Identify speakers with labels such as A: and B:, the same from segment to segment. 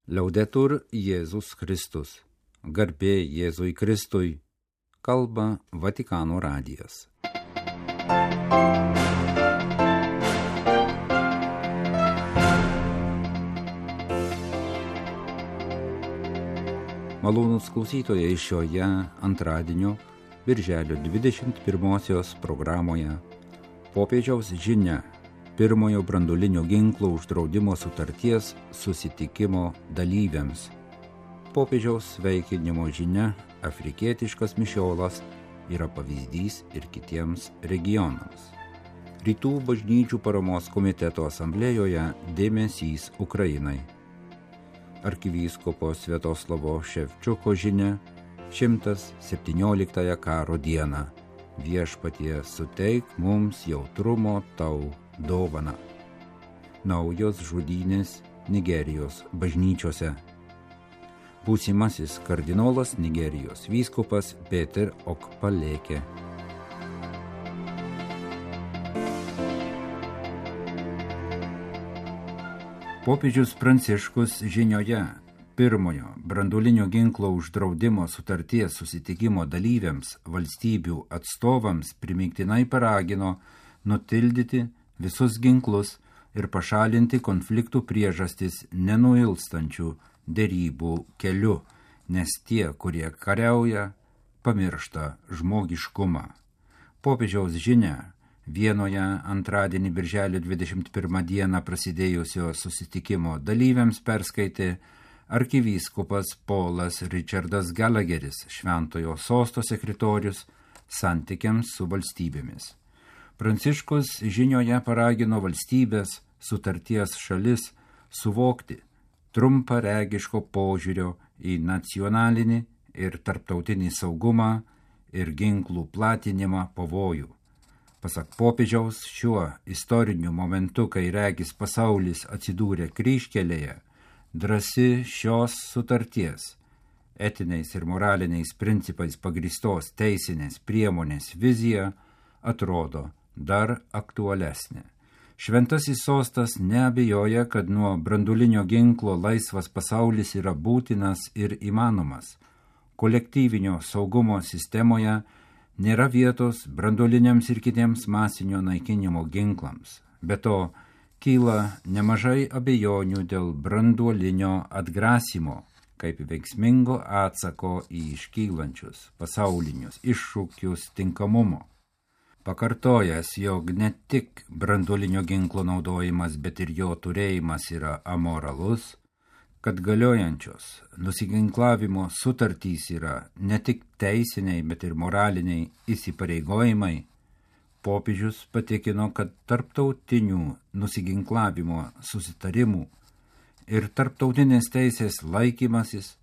A: Liaudetur Jėzus Kristus. Garbė Jėzui Kristui. Kalba Vatikano radijas. Malonūs klausytojai, šioje antradienio, birželio 21-osios programoje popiežiaus žinia pirmojo branduolinio ginklo uždraudimo sutarties susitikimo dalyviams. Popiežiaus sveikinimo žinia, afrikietiškas mišiolas, yra pavyzdys ir kitiems regionams. Rytų bažnyčių paramos komiteto asamblėjoje dėmesys Ukrainai. Arkivyskupo Sviatoslavo Ševčiuko žinia 117 karo dieną. Viešpatie, suteik mums jautrumo tau dovaną. Naujos žudynės Nigerijos bažnyčiose. Būsimasis kardinolas Nigerijos vyskupas Peter Okpaleke. Popiežius Pranciškus žinioje pirmojo branduolinio ginklo uždraudimo sutarties susitikimo dalyviams, valstybių atstovams primygtinai paragino nutildyti visus ginklus ir pašalinti konfliktų priežastis nenuilstančių derybų keliu, nes tie, kurie kariauja, pamiršta žmogiškumą. Popiežiaus žinia Vienoje antradienį birželio 21 dieną prasidėjusio susitikimo dalyviams perskaitė arkivyskupas Paulas Richardas Gallagheris, Šventojo sosto sekretorius santykiams su valstybėmis. Pranciškus žinioje paragino valstybės, sutarties šalis suvokti trumparegiško požiūrio į nacionalinį ir tarptautinį saugumą ir ginklų platinimą pavojų. Pasak popiežiaus, šiuo istoriniu momentu, kai regis pasaulis atsidūrė kryžkelėje, drąsi šios sutarties, etiniais ir moraliniais principais pagrįstos teisinės priemonės vizija atrodo dar aktualesnė. Šventasis sostas neabejoja, kad nuo branduolinio ginklo laisvas pasaulis yra būtinas ir įmanomas. Kolektyvinio saugumo sistemoje nėra vietos branduoliniams ir kitiems masinio naikinimo ginklams. Be to, kyla nemažai abejonių dėl branduolinio atgrasymo, kaip veiksmingo atsako į iškylančius pasaulinius iššūkius tinkamumo. Pakartojęs, jog ne tik branduolinio ginklo naudojimas, bet ir jo turėjimas yra amoralus, kad galiojančios nusiginklavimo sutartys yra ne tik teisiniai, bet ir moraliniai įsipareigojimai, popiežius patikino, kad tarptautinių nusiginklavimo susitarimų ir tarptautinės teisės laikymasis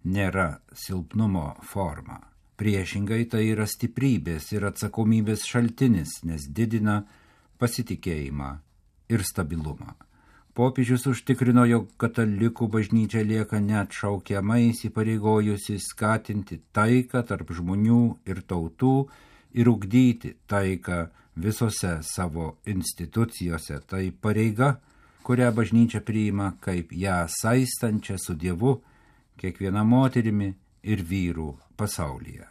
A: nėra silpnumo forma. Priešingai, tai yra stiprybės ir atsakomybės šaltinis, nes didina pasitikėjimą ir stabilumą. Popiežius užtikrino, jog katalikų bažnyčia lieka neatšaukiamai įsipareigojusi skatinti taiką tarp žmonių ir tautų ir ugdyti taiką visose savo institucijose. Tai pareiga, kurią bažnyčia priima kaip ją saistančią su Dievu, kiekviena moterimi ir vyrų pasaulyje.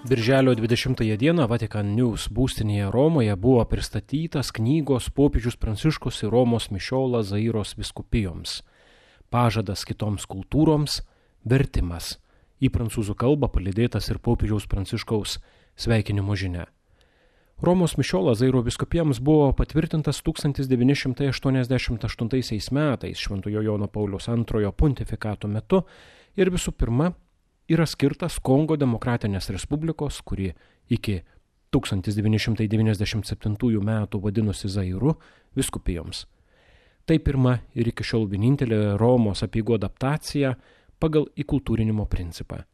B: Birželio 20 dieną Vatikan News būstinėje Romoje buvo pristatytas knygos Popiežius Pranciškus ir Romos mišiolas Zairos vyskupijoms. Pažadas kitoms kultūroms, vertimas. Į prancūzų kalbą palydėtas ir Popiežiaus Pranciškaus sveikinimo žinia. Romos mišiolas Zairo vyskupijoms buvo patvirtintas 1988 metais Šventojo Jono Pauliaus II pontifikato metu ir visų pirma yra skirtas Kongo Demokratinės Respublikos, kuri iki 1997 metų vadinosi Zairu, vyskupijoms. Tai pirma ir iki šiol vienintelė Romos apeigų adaptacija pagal įkultūrinimo principą.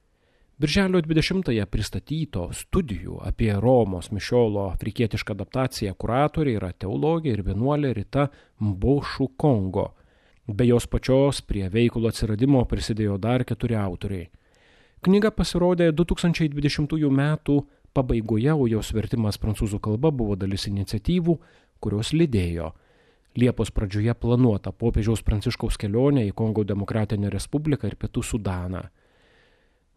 B: Birželio 20-ąją pristatyto studijų apie Romos mišiolo afrikietišką adaptaciją kuratorė yra teologė ir vienuolė Rita Mbošu Kongo. Be jos pačios prie veikalo atsiradimo prisidėjo dar 4 autoriai. Knyga pasirodė 2020 metų pabaigoje, o jos vertimas prancūzų kalba buvo dalis iniciatyvų, kurios lydėjo Liepos pradžioje planuota popiežiaus Pranciškaus kelionė į Kongo Demokratinę Respubliką ir Pietų Sudaną.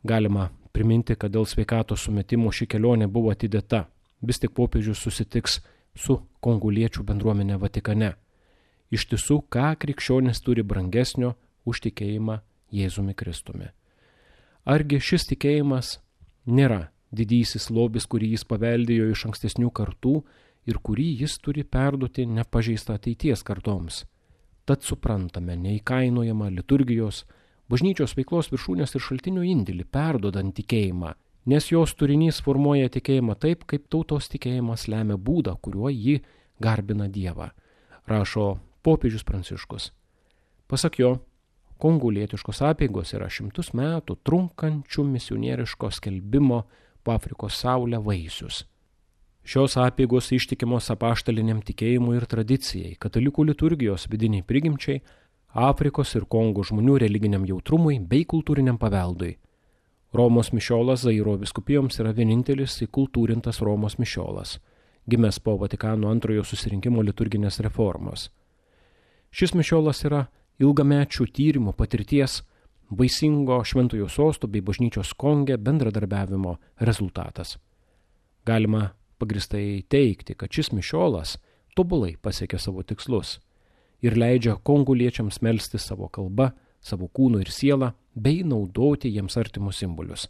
B: Galima priminti, kad dėl sveikatos sumetimo ši kelionė buvo atidėta. Vis tik popiežius susitiks su kongoliečių bendruomenė Vatikane. Iš tiesų, ką krikščionis turi brangesnio už tikėjimą Jėzumi Kristumi. Argi šis tikėjimas nėra didysis lobis, kurį jis paveldėjo iš ankstesnių kartų ir kurį jis turi perduoti nepažeistą ateities kartoms? Tad suprantame neįkainojamą liturgijos, bažnyčios veiklos viršūnės ir šaltinių indėlį perduodant tikėjimą, nes jos turinys formuoja tikėjimą taip, kaip tautos tikėjimas lemia būdą, kuriuo ji garbina Dievą, rašo popiežius Pranciškus. Pasak jo, kongolietiškos apeigos yra 100 metų trunkančių misionieriško skelbimo po Afrikos saulę vaisius. Šios apeigos ištikimos apaštaliniam tikėjimui ir tradicijai, katalikų liturgijos vidiniai prigimčiai, Afrikos ir Kongo žmonių religiniam jautrumui bei kultūriniam paveldui. Romos mišiolas Zairo vyskupijoms yra vienintelis įkultūrintas Romos mišiolas, gimęs po Vatikano antrojo susirinkimo liturginės reformos. Šis mišiolas yra ilgamečių tyrimų patirties, vaisingo šventojo sosto bei bažnyčios Konge bendradarbiavimo rezultatas. Galima pagristai teigti, kad šis mišiolas tobulai pasiekia savo tikslus ir leidžia kongoliečiams melsti savo kalbą, savo kūnu ir sielą, bei naudoti jiems artimus simbolius.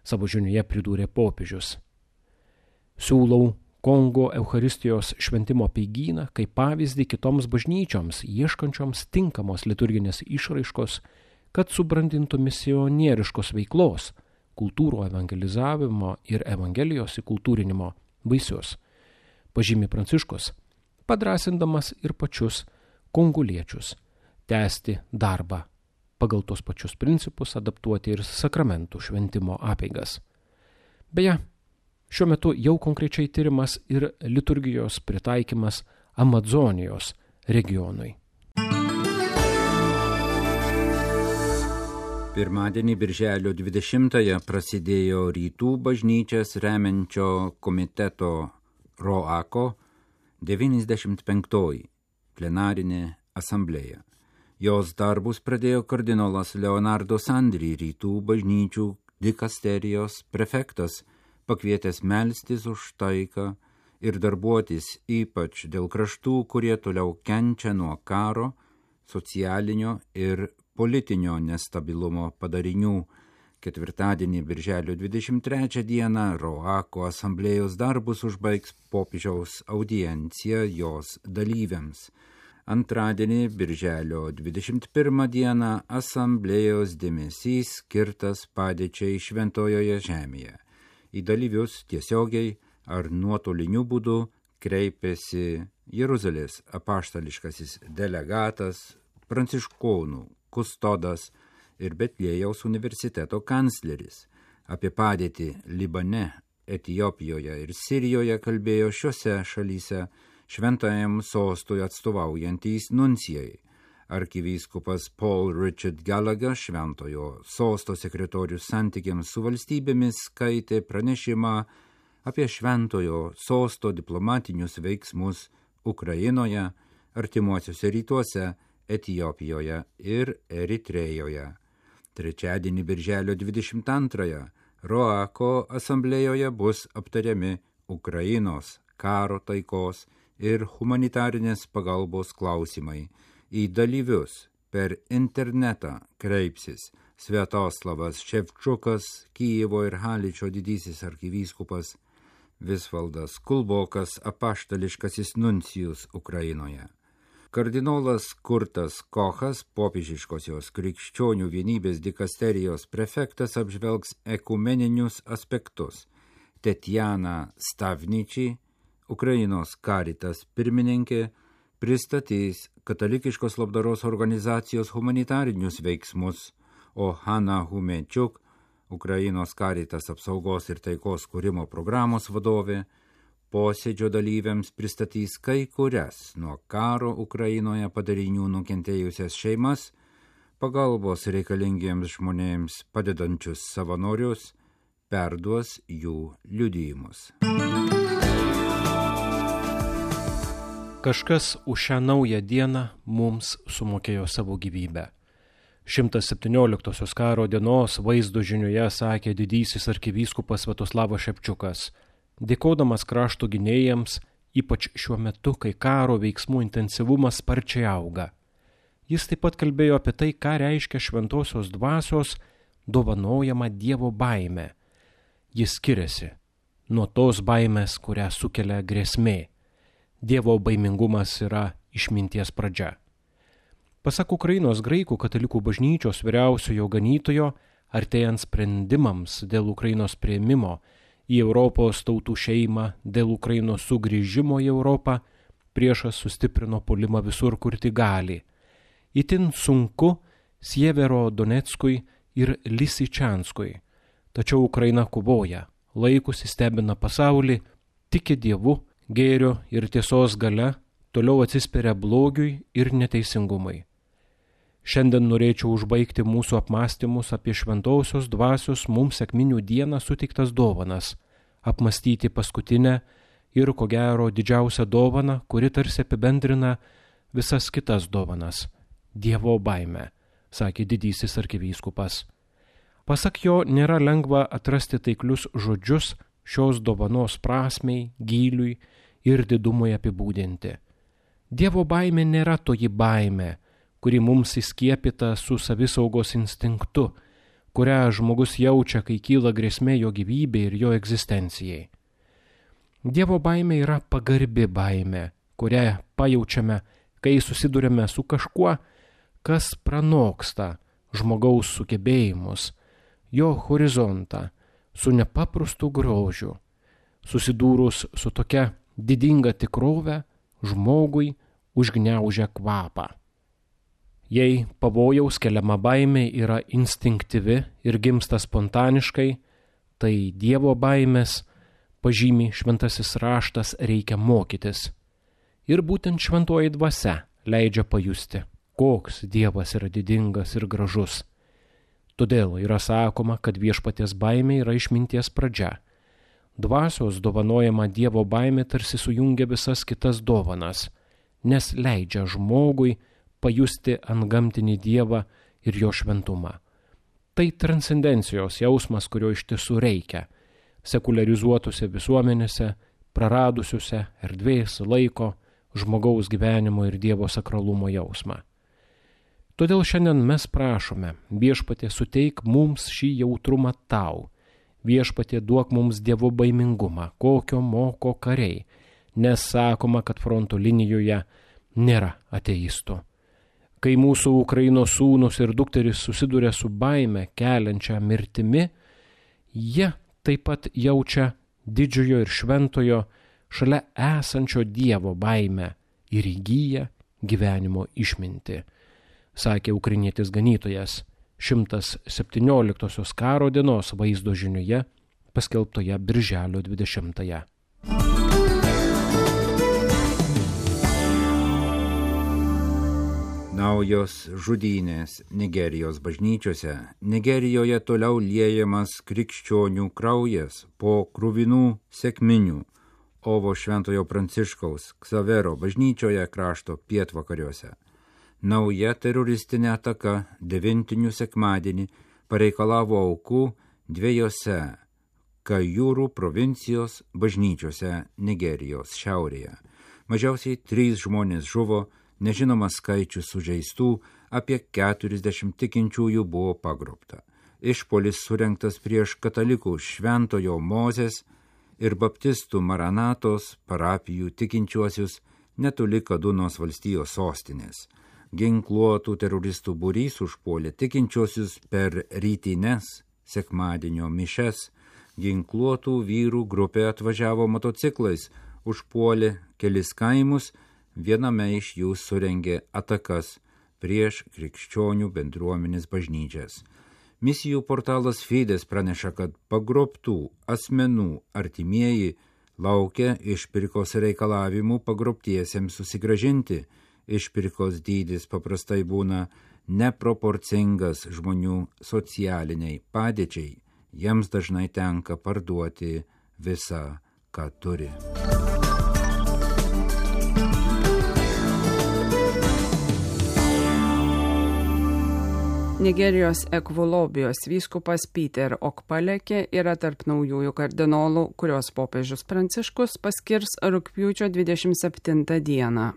B: Savo žinioje pridūrė popiežius. Siūlau Kongo Eucharistijos šventimo apeigyną kaip pavyzdį kitoms bažnyčioms, ieškančioms tinkamos liturginės išraiškos, kad subrandintų misionieriškos veiklos, kultūrų evangelizavimo ir evangelijos įkultūrinimo vaisius, pažymi Pranciškus, padrasindamas ir pačius kongoliečius tęsti darbą, pagal tos pačius principus adaptuoti ir sakramentų šventimo apeigas. Beje, šiuo metu jau konkrečiai tyrimas ir liturgijos pritaikymas Amazonijos regionui.
A: Pirmadienį birželio 20-ąją prasidėjo Rytų bažnyčias remiančio komiteto ROACO 95-oji plenarinė asamblėja. Jos darbus pradėjo kardinolas Leonardo Sandri, Rytų bažnyčių dikasterijos prefektas, pakvietęs melstis už taiką ir darbuotis ypač dėl kraštų, kurie toliau kenčia nuo karo, socialinio ir politinio nestabilumo padarinių. Ketvirtadienį birželio 23 dieną ROACO asamblėjos darbus užbaigs popiežiaus audiencija jos dalyviams. Antradienį birželio 21 dieną asamblėjos dėmesys skirtas padėčiai Šventojoje žemėje. Į dalyvius tiesiogiai ar nuotoliniu būdu kreipėsi Jeruzalės apaštališkasis delegatas, pranciškonų kustodas ir Betliejaus universiteto kancleris. Apie padėtį Libane, Etiopijoje ir Sirijoje kalbėjo šiose šalyse šventajam sostui atstovaujantys nuncijai. Arkivyskupas Paul Richard Gallagher, šventojo sosto sekretorius santykiams su valstybėmis, skaitė pranešimą apie šventojo sosto diplomatinius veiksmus Ukrainoje, artimuosiuose rytuose, Etiopijoje ir Eritrėjoje. Trečiadienį birželio 22-ąją ROACO asamblėjoje bus aptariami Ukrainos, karo taikos ir humanitarinės pagalbos klausimai. Į dalyvius per internetą kreipsis Sviatoslavas Ševčukas, Kijevo ir Haličio didysis arkivyskupas, Visvaldas Kulbokas, apaštališkasis nuncijus Ukrainoje. Kardinolas Kurtas Kochas, popiežiškosios krikščionių vienybės dikasterijos prefektas, apžvelgs ekumeninius aspektus. Tetjana Stavničiai, Ukrainos Caritas pirmininkė, pristatys katalikiškos labdaros organizacijos humanitarinius veiksmus, o Hanna Humečiuk, Ukrainos Caritas apsaugos ir taikos kūrimo programos vadovė, posėdžio dalyviams pristatys kai kurias nuo karo Ukrainoje padarinių nukentėjusias šeimas, pagalbos reikalingiems žmonėms padedančius savanorius, perduos jų liudijimus.
B: Kažkas už šią naują dieną mums sumokėjo savo gyvybę. 117 karo dienos vaizdo žinioje sakė didysis arkivyskupas Sviatoslavas Šepčiukas, dėkodamas krašto gynėjams, ypač šiuo metu, kai karo veiksmų intensyvumas sparčiai auga. Jis taip pat kalbėjo apie tai, ką reiškia šventosios dvasios dovanojama Dievo baimė. Jis skiriasi nuo tos baimės, kurią sukelia grėsmė. Dievo baimingumas yra išminties pradžia. Pasak Ukrainos graikų katalikų bažnyčios vyriausiojo ganytojo, artėjant sprendimams dėl Ukrainos priėmimo į Europos tautų šeimą, dėl Ukrainos sugrįžimo į Europą, priešas sustiprino puolimą visur, kur tik gali. Itin sunku Sievero Donetskui ir Lisičanskui. Tačiau Ukraina kovoja, laikusi stebina pasaulį, tiki Dievu, gėrio ir tiesos galia, toliau atsispiria blogiui ir neteisingumai. Šiandien norėčiau užbaigti mūsų apmąstymus apie šventosios dvasios mums sekminių dieną suteiktas dovanas, apmąstyti paskutinę ir, ko gero, didžiausią dovaną, kuri tarsi apibendrina visas kitas dovanas – Dievo baimę, sakė didysis arkivyskupas. Pasak jo, nėra lengva atrasti taiklius žodžius šios dovanos prasmei, gyliui ir didumui apibūdinti. Dievo baimė nėra toji baimė, kuri mums įskiepyta su savisaugos instinktu, kurią žmogus jaučia, kai kyla grėsmė jo gyvybei ir jo egzistencijai. Dievo baimė yra pagarbi baimė, kurią pajaučiame, kai susidurime su kažkuo, kas pranoksta žmogaus sugebėjimus, jo horizontą, su nepaprastu grožiu. Susidūrus su tokia didinga tikrove, žmogui užgniaužia kvapą. Jei pavojaus keliama baimė yra instinktyvi ir gimsta spontaniškai, tai Dievo baimės, pažymi šventasis raštas, reikia mokytis. Ir būtent šventoji dvasia leidžia pajusti, koks Dievas yra didingas ir gražus. Todėl yra sakoma, kad viešpaties baimė yra išminties pradžia. Dvasios dovanojama Dievo baimė tarsi sujungia visas kitas dovanas, nes leidžia žmogui pajusti antgamtinį Dievą ir jo šventumą. Tai transcendencijos jausmas, kurio iš tiesų reikia sekuliarizuotose visuomenėse, praradusiuose erdvės, laiko, žmogaus gyvenimo ir Dievo sakralumo jausmą. Todėl šiandien mes prašome, viešpatie suteik mums šį jautrumą tau, viešpatie duok mums Dievo baimingumą, kokio moko kariai, nes sakoma, kad fronto linijoje nėra ateistų. Kai mūsų Ukrainos sūnus ir dukteris susiduria su baime keliančia mirtimi, jie taip pat jaučia didžiojo ir šventojo šalia esančio Dievo baimę ir įgyja gyvenimo išmintį, sakė ukrainietis ganytojas 117 karo dienos vaizdo žinioje paskelbtoje birželio 20-ąją.
A: Naujos žudynės Nigerijos bažnyčiose. Nigerijoje toliau liejamas krikščionių kraujas po kruvinų sekminių Ovo Šventojo Pranciškaus Ksavero bažnyčioje krašto pietvakariuose. Nauja teroristinė ataka 9 sekmadienį pareikalavo aukų 2 Kajūrų provincijos bažnyčiose Nigerijos šiaurėje. Mažiausiai 3 žmonės žuvo, nežinomas skaičius sužeistų, apie 40 tikinčiųjų buvo pagrobta. Išpuolis surengtas prieš katalikų Šventojo Mozės ir baptistų Maranatos parapijų tikinčiuosius netoli Kadunos valstijos sostinės. Ginkluotų teroristų būrys užpuolė tikinčiuosius per rytines sekmadienio mišes. Ginkluotų vyrų grupė atvažiavo motociklais, užpuolė kelis kaimus, viename iš jų surengė atakas prieš krikščionių bendruomenės bažnyčias. Misijų portalas Fides praneša, kad pagrobtų asmenų artimieji laukia išpirkos reikalavimų pagrobtiesiems susigrąžinti. Išpirkos dydis paprastai būna neproporcingas žmonių socialiniai padėčiai. Jiems dažnai tenka parduoti visą, ką turi.
C: Nigerijos Ekvolobijos vyskupas Peter Okpaleke yra tarp naujųjų kardinolų, kurios popiežius Pranciškus paskirs rugpjūčio 27 dieną.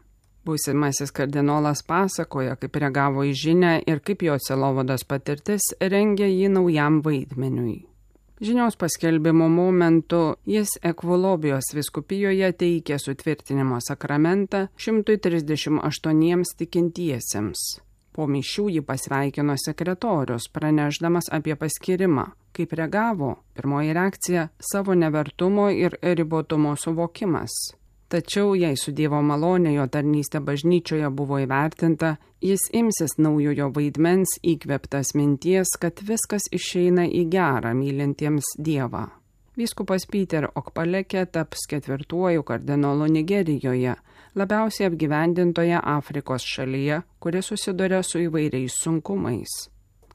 C: Būsimasis kardinolas pasakoja, kaip reagavo į žinią ir kaip jo sielovados patirtis rengia jį naujam vaidmeniui. Žinios paskelbimo momentu jis Ekvolobijos vyskupijoje teikė sutvirtinimo sakramentą 138 tikintiesiems. Po mišių jį pasveikino sekretorius, pranešdamas apie paskirimą. Kaip reagavo? Pirmoji reakcija – savo nevertumo ir ribotumo suvokimas. Tačiau, jei su Dievo malonė jo tarnystė bažnyčioje buvo įvertinta, jis imsis naujojo vaidmens įkvėptas minties, kad viskas išeina į gerą mylintiems Dievą. Vyskupas Peter Okpaleke taps 4. kardinolu Nigerijoje, labiausiai apgyvendintoje Afrikos šalyje, kuri susiduria su įvairiais sunkumais.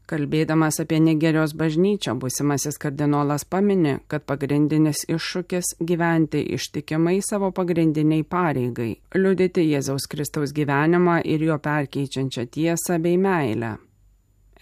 C: Kalbėdamas apie Nigerijos bažnyčią, būsimasis kardinolas pamini, kad pagrindinis iššūkis – gyventi ištikimai savo pagrindiniai pareigai, liudyti Jėzaus Kristaus gyvenimą ir jo perkeičiančią tiesą bei meilę.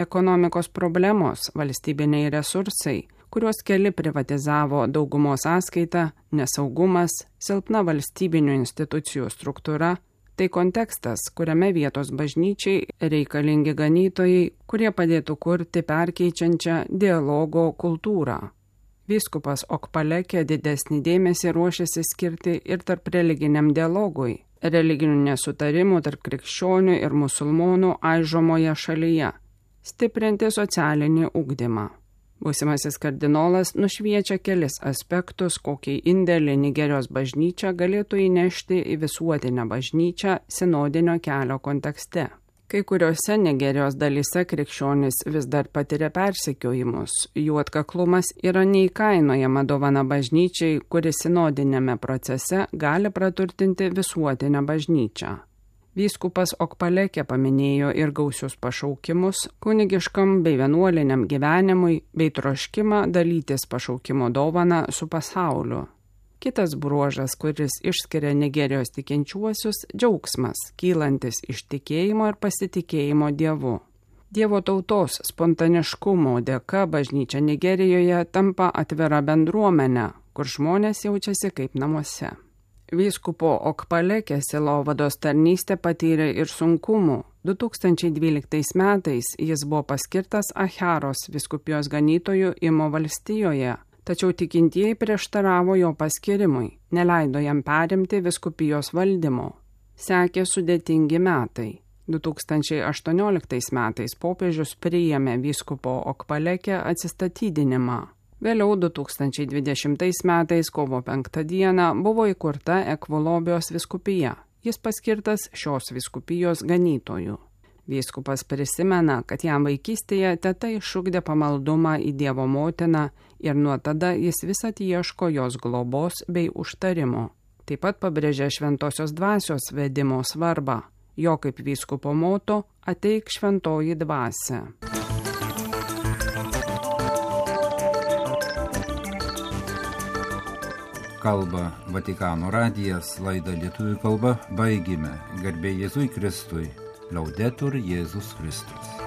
C: Ekonomikos problemos, valstybiniai resursai, kuriuos keli privatizavo daugumos sąskaita, nesaugumas, silpna valstybinių institucijų struktūra – tai kontekstas, kuriame vietos bažnyčiai reikalingi ganytojai, kurie padėtų kurti perkeičiančią dialogo kultūrą. Vyskupas Okpaleke didesnį dėmesį ruošiasi skirti ir tarp religiniam dialogui, religinių nesutarimų tarp krikščionių ir musulmonų aižomoje šalyje, stiprinti socialinį ugdymą. Būsimasis kardinolas nušviečia kelis aspektus, kokį indėlį Nigerijos bažnyčia galėtų įnešti į visuotinę bažnyčią sinodinio kelio kontekste. Kai kuriuose Nigerijos dalyse krikščionys vis dar patiria persekiojimus, jų atkaklumas yra neįkainojama dovana bažnyčiai, kuri sinodinėme procese gali praturtinti visuotinę bažnyčią. Vyskupas Okpaleke paminėjo ir gausius pašaukimus kunigiškam bei vienuoliniam gyvenimui bei troškimą dalytis pašaukimo dovaną su pasauliu. Kitas bruožas, kuris išskiria Nigerijos tikinčiuosius – džiaugsmas, kylantis iš tikėjimo ir pasitikėjimo Dievu. Dievo tautos spontaniškumo dėka bažnyčia Nigerijoje tampa atvira bendruomenė, kur žmonės jaučiasi kaip namuose. Vyskupo Okpaleke sielovados tarnystė patyrė ir sunkumų. 2012 metais jis buvo paskirtas Acharos vyskupijos ganytoju Imo valstijoje, tačiau tikintieji prieštaravo jo paskirimui, neleido jam perimti vyskupijos valdymo. Sekė sudėtingi metai. 2018 metais popiežius priėmė vyskupo Okpaleke atsistatydinimą. Vėliau 2020 metais kovo 5 dieną buvo įkurta Ekvolobijos vyskupija. Jis paskirtas šios vyskupijos ganytoju. Vyskupas prisimena, kad jam vaikystėje teta išugdė pamaldumą į Dievo motiną ir nuo tada jis visad ieško jos globos bei užtarimo. Taip pat pabrėžė šventosios dvasios vedimo svarbą. Jo kaip vyskupo moto – ateik šventoji dvasia.
A: Kalba Vatikano radijas, laidą lietuvių kalba baigime. Garbė Jėzui Kristui. Laudetur Jėzus Kristus.